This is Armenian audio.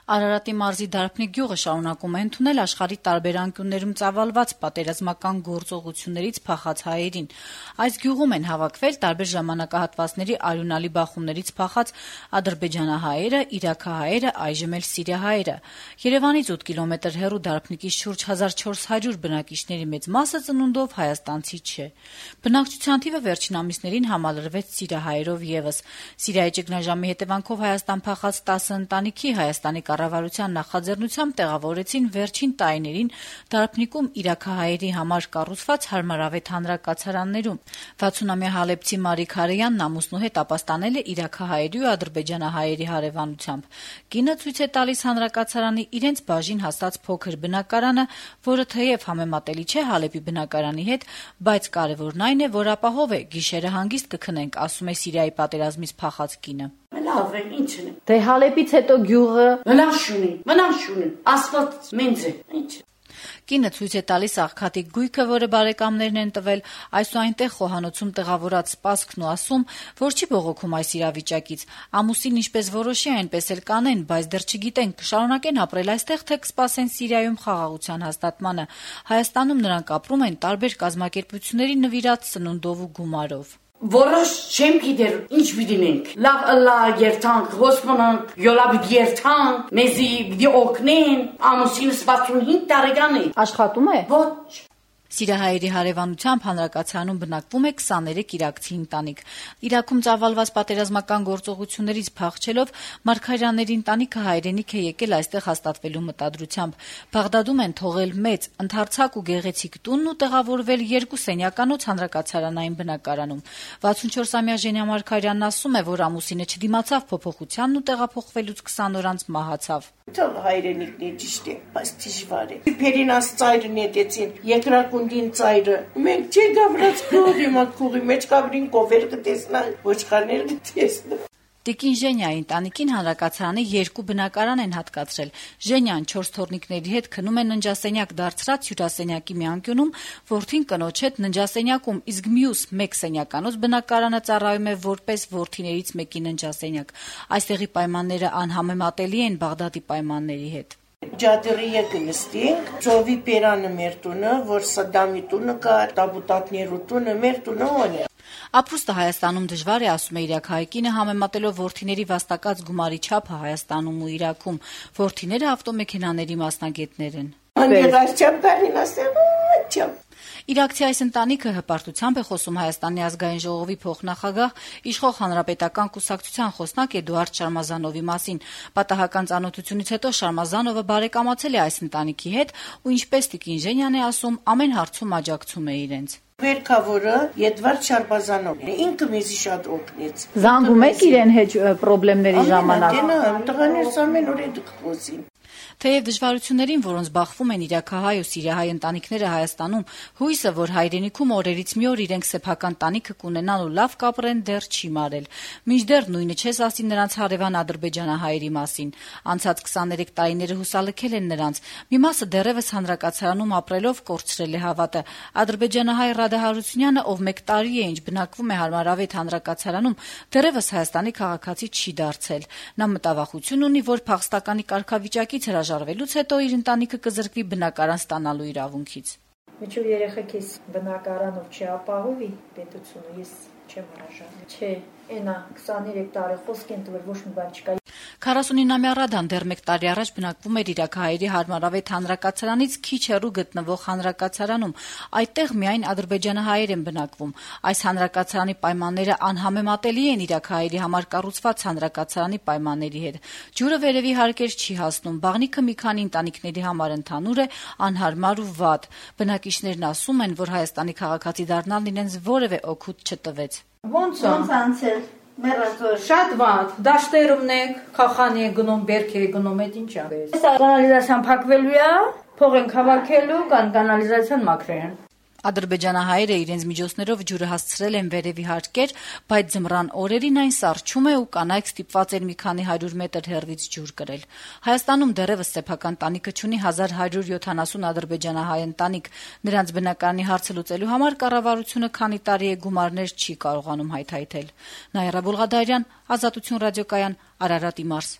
Արարատի մարզի Դարբնիկ գյուղը շարունակում է ընդունել աշխարհի տարբեր անկյուններում ծավալված պատերազմական գործողություններից փախած հայերին։ Այս գյուղում են հավաքվել տարբեր ժամանակահատվածների արյունալի բախումներից փախած ադրբեջանահայերը, իրաքահայերը, այժմ էլ սիրիահայերը։ Երևանից 8 կիլոմետր հեռու Դարբնիկից շուրջ 1400 բնակիչների մեծ մասը ծնունդով հայաստանցի չէ։ Բնակչության թիվը վերջին ամիսներին համալրվեց սիրիահայերով եւս։ Սիրիայի ճգնաժամի հետևանքով Հայաստան փախած 10 ընտանիքի Հայաստանի կառավարության նախաձեռնությամբ տեղավորեցին վերջին տարիներին Դարբնիկում իրաքահայերի համար կառուցված հարմարավետ հանրակացարաններում։ 60-ամյա հալեբցի Մարիկ Հարեյանն ամուսնու հետ ապաստանել է իրաքահայերի ու ադրբեջանահայերի հարևանությամբ։ Կինը ցույց է տալիս հանրակացարանի իրենց բաժին հասած փոքր բնակարանը, որը թեև համեմատելի չէ Հալեբի բնակարանի հետ, բայց կարևորն այն է, որ ապահով է, գիշերը հանգիստ կքնենք, ասում է Սիրիայի պատերազմից փախած կինը։ Լավ է, ինչն է։ Դե Հալեբից հետո գյուղը մնաց շունի, ասված մենձ է, ինչ։ Կինը ցույց է տալիս աղքատիկ գույքը, որը բարեկամներն են տվել, այսուհայտեղ խոհանոցում տեղավորած սպասքն ու ասում, որ չի բողոքում այս իրավիճակից։ Ամուսին ինչպես որոշի, այնպես էլ կանեն, բայց դեռ չգիտեն կշարունակեն ապրել այստեղ, թե կսպասեն Սիրիայում խաղաղության հաստատմանը։ Հայաստանում նրանք ապրում են տարբեր կազմակերպությունների նվիրած սնունդով ու գումարով։ Որոշ չեմ գիտեր, ինչ պիտինենք։ Լավ ըլլա երթանք, հոսպոնանք, յոլա պիտի երթանք, մեզի պիտի օգնեն, ամուսինս 65 տարեկան է։ Աշխատում է։ Ոչ։ Սիրիահայերի հարևանությամբ հանրակացարանում բնակվում է 23 իրաքցի ընտանիք։ Իրաքում ծավալված պատերազմական գործողություններից փախչելով Մարգարյանների ընտանիքը հայրենիք է եկել այստեղ հաստատվելու մտադրությամբ։ Բաղդադում են թողել մեծ, ընդարձակ ու գեղեցիկ տունն ու տեղավորվել 2 սենյականոց հանրակացարանային բնակարանում։ 64-ամյա Ժենյա Մարգարյանն ասում է, որ ամուսինը չդիմացավ փոփոխությանն ու տեղափոխվելուց 20 օր անց մահացավ։ Թող հայրենիքն է ճիշտ է, բայց դժվար է։ Փերինաս ծայրը նետեցին, երկրակունդին ծայրը։ Մենք չի գավրած քողի մաքուղի մեջ կավրին կովեր կտեսնալ, ոչխարներ կտեսնալ։ Տիկին Ժենյայի ընտանիքին հանրակացարանի 2 բնակարան են հատկացրել։ Ժենյան 4 թոռնիկների հետ քնում է ննջասենյակ դարձրած հյուրասենյակի մի անկյունում, որդին կնոջ հետ ննջասենյակում, իսկ մյուս 1 սենյականոց բնակարանը ծառայում է որպես որդիներից մեկի ննջասենյակ։ Այստեղի պայմանները անհամեմատելի են Բաղդադի պայմանների հետ։ Ջադրի նստենք, ծովի պերանը մեր տունը, որ Սադամի տունը կա, տաբուտատներու տունը, մեր տունը ոնը։ Ապրուստը Հայաստանում դժվար է, ասում է իրաքահայ կինը, համեմատելով որդիների վաստակած գումարի չափը Հայաստանում ու Իրաքում։ Որդիները ավտոմեքենաների մասնագետներ են։ Իրաքցի այս ընտանիքը հպարտությամբ է խոսում Հայաստանի ազգային ժողովի փոխնախագահ, իշխող հանրապետական կուսակցության խոսնակ Էդուարդ Շարմազանովի մասին։ Պատահական ծանոթությունից հետո Շարմազանովը բարեկամացել է այս ընտանիքի հետ ու ինչպես տիկին Ժենյան է ասում, ամեն հարցում աջակցում է իրենց։ Վերքավորը Էդվարդ Շարմազանովն է, ինքը մեզի շատ օգնեց։ Զանգում եք իրեն հետ խնդիրների ժամանակ։ Տղաներս ամեն օր այդ խոսին։ Թեև դժվարություններին, որոնց բախվում են իրաքահայ ու սիրիահայ ընտանիքները Հայաստանում, հույսը, որ հայրենիքում օրերից մի օր իրենք սեփական տանիքը կունենան ու լավ կապրեն, դեռ չի մարել։ Մինչդեռ նույնը չես ասի նրանց հարևան ադրբեջանահայերի մասին։ Անցած 23 տարիները հուսալքել են նրանց։ Մի մասը դեռևս հանրակացարանում ապրելով կորցրել է հավատը։ Ադրբեջանահայ Ռադա Հարությունյանը, ով 1 տարի է ինչ բնակվում է հարմարավետ հանրակացարանում, դեռևս Հայաստանի քաղաքացի չի դարձել։ Նա մտավախություն ունի, որ փախստականի կարգավիճակից հրաժարվելուց հետո իր ընտանիքը կզրկվի բնակարան ստանալու իրավունքից։ Միջով երեխեքիս բնակարանով չապահովի պետությունը, ես չեմ հրաժարվի։ Չէ, այնա 23 տարի խոսք են տվել, ոչ մի բան չկա։ 49-ամյա Ռադան դեռ 1 տարի առաջ բնակվում էր իրաքահայերի հարմարավետ հանրակացարանից քիչ հեռու գտնվող հանրակացարանում։ Այդտեղ միայն ադրբեջանահայեր են բնակվում։ Այս հանրակացարանի պայմանները անհամեմատելի են իրաքահայերի համար կառուցված հանրակացարանի պայմանների հետ։ Ջուրը վերևի հարկեր չի հասնում, բաղնիքը մի քանի ընտանիքների համար ընդհանուր է, անհարմար ու վատ։ Բնակիչներն ասում են, որ Հայաստանի քաղաքացի դառնալն իրենց որևէ օգուտ չտվեց։ Ոնց անցել։ Շատ վատ, դաշտերումն եք, խախանի է գնում, բերք է գնում, այդ ինչ է։ Կանալիզացիան փակվելու է, փող են հավաքելու, կանալիզացիան մաքրեն։ Ադրբեջանահայերը իրենց միջոցներով ջուրը հասցրել են վերևի հարկեր, բայց ձմռան օրերին այն սառչում է ու կանայք ստիպված են մի քանի 100 մետր հեռվից ջուր կրել։ Հայաստանում դեռևս սեփական տանիքը չունի 1170 ադրբեջանահայ ընտանիք։ Նրանց բնակարանի հարցը լուծելու համար կառավարությունը քանի տարի է գումարներ չի կարողանում հայթայթել։ Նաիրա Բուլղադարյան, Ազատություն ռադիոկայան, Արարատի մարզ։